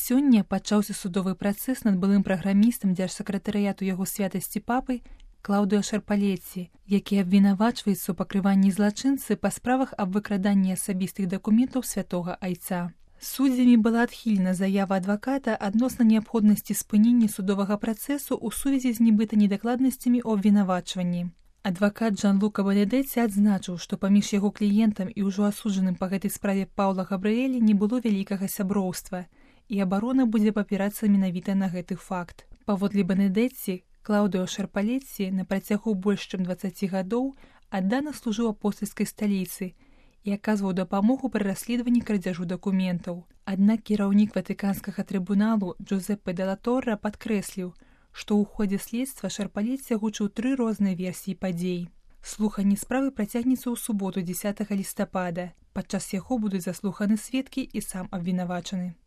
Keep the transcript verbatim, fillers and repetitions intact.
Сёння пачаўся судовы працэс над былым праграмістам дзяржсакратарыяту яго святасці папы Клаўдыё Шарпалеці, які абвінавачваецца ў пакрыванні злачынцы па справах аб выкраданні асабістых дакументаў святога айца. Суддзямі была адхілена заява адваката адносна неабходнасці спынення судовага працэсу ў сувязі з нібыта недакладнасцямі ў абвінавачванні. Адвакат Джан-Лука Бенедетці адзначыў, што паміж яго кліентам і ўжо асуджаным па гэтай справе Паўла Габрыэлі не было вялікага сяброўства, і абарона будзе папірацца менавіта на гэты факт. Паводле Бенедетці, Клаўдыё Шарпалеці на працягу больш чым дваццаці гадоў аддана служыў апостальскай сталіцы і аказваў дапамогу пры расследаванні крадзяжу дакументаў. Аднак кіраўнік ватыканскага трыбуналу Джузеппе де ла Торра падкрэсліў, што ў ходзе следства Шарпалеці агучыў тры розныя версіі падзей. Слуханне справы працягнецца ў суботу дзесятага лістапада. Падчас яго будуць заслуханы сведкі і сам абвінавачаны.